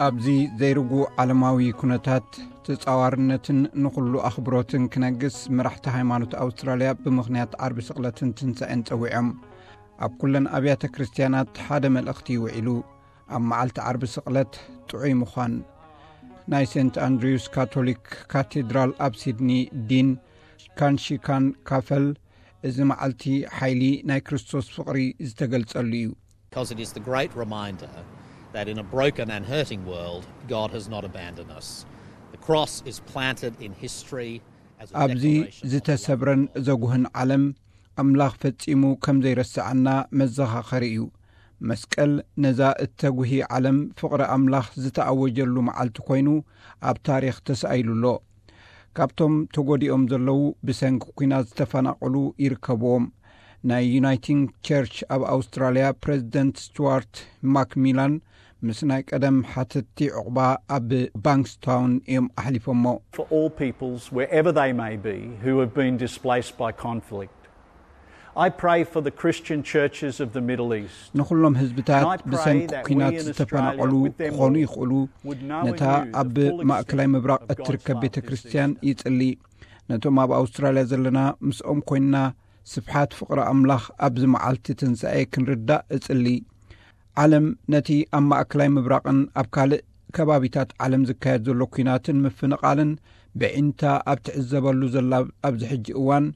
ኣብዚ ዘይርጉእ ዓለማዊ ኩነታት፣ ተጻዋርነትን ንኹሉ ኣኽብሮትን ክነግስ፣ መራሕቲ ሃይማኖት ኣውስትራልያ ብምኽንያት ዓርቢ ስቕለትን ትንሳኤን ጸዊዖም። ኣብ ኩለን ኣብያተ ክርስትያናት ሓደ መልእኽቲ ይውዒሉ። ኣብ መዓልቲ ዓርቢ ስቕለት ጥዑይ ምዃን። ናይ ሴንት ኣንድሪውስ ካቶሊክ ካቴድራል ኣብ ሲድኒ ዲን ካንሺካን ካፈል፣ እዚ መዓልቲ ሓይሊ ናይ ክርስቶስ ፍቕሪ ዝተገልጸሉ እዩ። Because it is the great reminder that in a broken and hurting world, God has not abandoned us. The cross is planted in history as a ኣብዚ declaration of ዝተሰብረን ዘጉህን ዓለም፣ ኣምላኽ ፈጺሙ ከም ዘይረስዓና መዘኻኸሪ እዩ። መስቀል ነዛ እተጉሂ ዓለም ፍቕሪ ኣምላኽ ዝተኣወጀሉ መዓልቲ ኮይኑ ኣብ ታሪኽ ተሳኢሉ ኣሎ። ካብቶም ተጎዲኦም ዘለዉ ብሰንኪ ኲናት ዝተፈናቐሉ ይርከብዎም። ናይ ዩናይቲንግ ቸርች ኣብ ኣውስትራልያ ፕሬዚደንት ስቱዋርት ማክሚላን ምስ ናይ ቀደም ሓተትቲ ዕቑባ ኣብ ባንክስታውን እዮም ኣሕሊፎሞ። For all peoples, wherever they may be, who have been displaced by conflict. I pray for the Christian churches of the Middle East. ንኹሎም ህዝብታት And I pray ብሰንኪ that we ኲናት in Australia, ዝተፈናቐሉ with them ክኾኑ all, ይኽእሉ፣ would know ነታ in you the ኣብ full ማእከላይ extent ምብራቕ of God's እትርከብ love ቤተ this ክርስትያን season. ይጽሊ። ነቶም ኣብ ኣውስትራልያ ዘለና ምስኦም ኮይንና ስፍሓት ፍቕሪ ኣምላኽ ኣብዚ መዓልቲ ትንሳኤ ክንርዳእ እጽሊ። ዓለም ነቲ ኣብ ማእከላይ ምብራቕን ኣብ ካልእ ከባቢታት ዓለም ዝካየድ ዘሎ ኲናትን ምፍንቓልን ብዒንታ ኣብ ትዕዘበሉ ዘላ ኣብዚ ሕጂ እዋን፣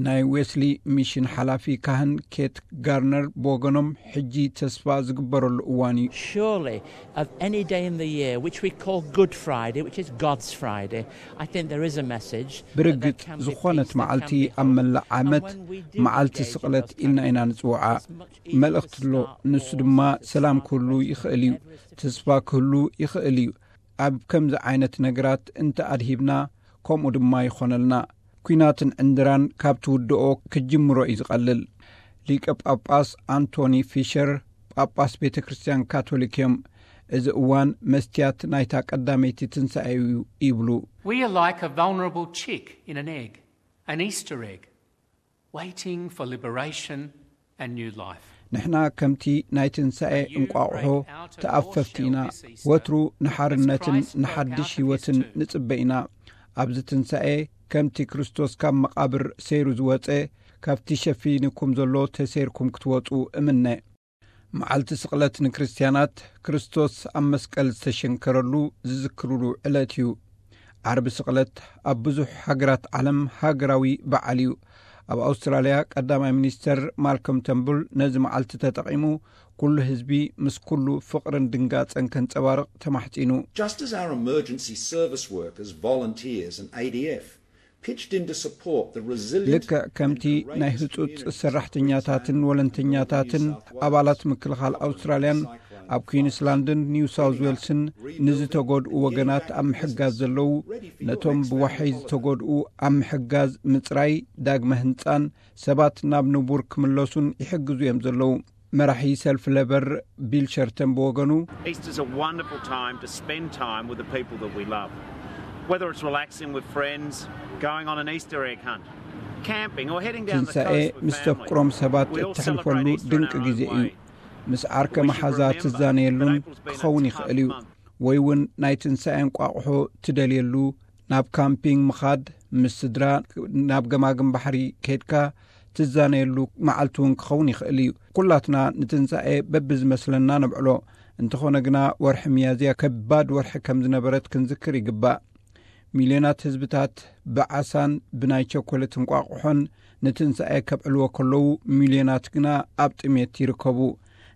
ናይ ዌስሊ ሚሽን ሓላፊ ካህን ኬት ጋርነር ብወገኖም፣ ሕጂ ተስፋ ዝግበረሉ እዋን እዩ። Surely, of any day in the year, which we call Good Friday, which is God's Friday, I think there is a message that there ብርግጽ can be ዝኾነት peace, there መዓልቲ can be ኣብ hope. መላእ ዓመት And when we do መዓልቲ engage in ስቕለት those kind ኢልና of ኢና things, ንጽውዓ። it's much easier መልእኽቲ to ኣሎ። start ንሱ with ድማ Jesus' ሰላም heart ክህሉ and ይኽእል እዩ። everything ተስፋ ክህሉ ይኽእል እዩ። ኣብ ከምዚ ዓይነት ነገራት እንተ ኣድሂብና፣ ከምኡ ድማ ይኾነልና። ኲናትን ዕንድራን ካብ ትውድኦ ክጅምሮ እዩ ዝቐልል። ሊቀ ጳጳስ ኣንቶኒ ፊሸር ጳጳስ ቤተ ክርስቲያን ካቶሊክ እዮም። እዚ እዋን መስትያት ናይታ ቀዳመይቲ ትንሳኤ እዩ ይብሉ። We are like a vulnerable chick in an egg, an Easter egg, waiting for liberation and new life. ንሕና ከምቲ ናይ ትንሳኤ እንቋቑሖ ተኣፈፍቲ ኢና። ወትሩ ንሓርነትን ንሓድሽ ህይወትን ንጽበ ኢና። ኣብዚ ትንሳኤ ከምቲ ክርስቶስ ካብ መቓብር ሰይሩ ዝወጸ፣ ካብቲ ሸፊንኩም ዘሎ ተሰይርኩም ክትወጹ እምነ። መዓልቲ ስቕለት ንክርስትያናት ክርስቶስ ኣብ መስቀል ዝተሸንከረሉ ዝዝክርሉ ዕለት እዩ። ዓርቢ ስቕለት ኣብ ብዙሕ ሃገራት ዓለም ሃገራዊ በዓል እዩ። ኣብ ኣውስትራልያ ቀዳማይ ሚኒስተር ማልኮም ተምቡል ነዚ መዓልቲ ተጠቒሙ፣ ኩሉ ህዝቢ ምስ ኩሉ ፍቕርን ድንጋጸን ከንጸባርቕ ተማሕጺኑ። Just as our emergency service workers, volunteers, and A D F pitched in to support the resilient ልክዕ ከምቲ ናይ ህጹጽ ሰራሕተኛታትን ወለንተኛታትን ኣባላት ምክልኻል ኣውስትራልያን ኣብ ኩዊንስላንድን ኒው ሳውዝ ዌልስን ንዝተጎድኡ ወገናት ኣብ ምሕጋዝ ዘለዉ፣ ነቶም ብዋሕይ ዝተጎድኡ ኣብ ምሕጋዝ፣ ምጽራይ፣ ዳግመ ህንጻን ሰባት ናብ ንቡር ክምለሱን ይሕግዙ እዮም ዘለዉ። መራሒ ሰልፊ ለበር ቢል ሸርተን ብወገኑ፣ Easter's a wonderful time to spend time with the people that we love. Whether it's relaxing with friends, going on an Easter egg hunt, camping, or heading down the ትንሳኤ coast with ምስ family, ተፍቅሮም ሰባት we all እተሕልፈሉ celebrate Easter in ድንቂ our ግዜ own እዩ። way. ምስ ዓርከ መሓዛ ትዛነየሉን ክኸውን ይኽእል እዩ። ወይ እውን ናይ ትንሳኤ እንቋቑሖ ትደልየሉ፣ ናብ ካምፒንግ ምኻድ፣ ምስ ስድራ ናብ ገማግም ባሕሪ ከድካ ትዛነየሉ መዓልቲ እውን ክኸውን ይኽእል እዩ። ኩላትና ንትንሳኤ በብዝመስለና ነብዕሎ። እንተኾነ ግና፣ ወርሒ ሚያዝያ ከባድ ወርሒ ከም ዝነበረት ክንዝክር ይግባእ። ሚልዮናት ህዝብታት ብዓሳን ብናይ ቸኮሌት እንቋቑሖን ንትንሳኤ ከብዕልዎ ከለዉ፣ ሚልዮናት ግና ኣብ ጥሜት ይርከቡ።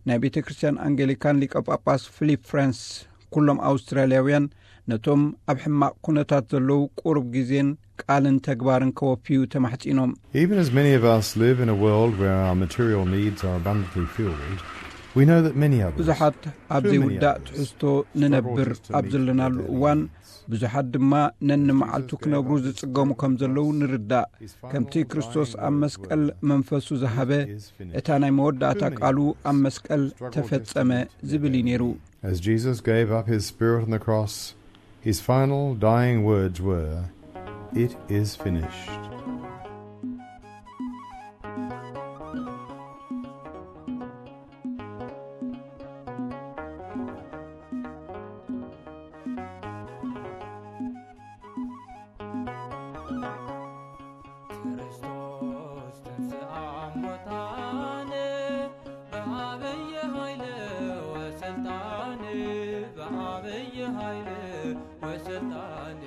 ናይ ቤተ ክርስቲያን ኣንጌሊካን ሊቀ ጳጳስ ፊሊፕ ፍራንስ፣ ኩሎም ኣውስትራልያውያን ነቶም ኣብ ሕማቕ ኩነታት ዘለዉ ቁሩብ ግዜን ቃልን ተግባርን ከወፍዩ ተማሕጺኖም። Even as many of us live in a world where our material needs are abundantly filled, we know that many others, ብዙሓት ኣብ too many ዘይውዳእ others, ትሕዝቶ ንነብር ኣብ ዘለናሉ እዋን፣ ብዙሓት ድማ ነንመዓልቱ ክነብሩ ዝጽገሙ ከም ዘለዉ ንርዳእ። ከምቲ ክርስቶስ ኣብ መስቀል መንፈሱ ዝሃበ፣ እታ ናይ መወዳእታ ቃሉ ኣብ መስቀል ተፈጸመ ዝብል እዩ ነይሩ። As Jesus gave up his spirit on the cross, his final dying words were, "It is finished." በአብይ ኃይል ወስልጣን በአብይ ኃይል ወስልጣን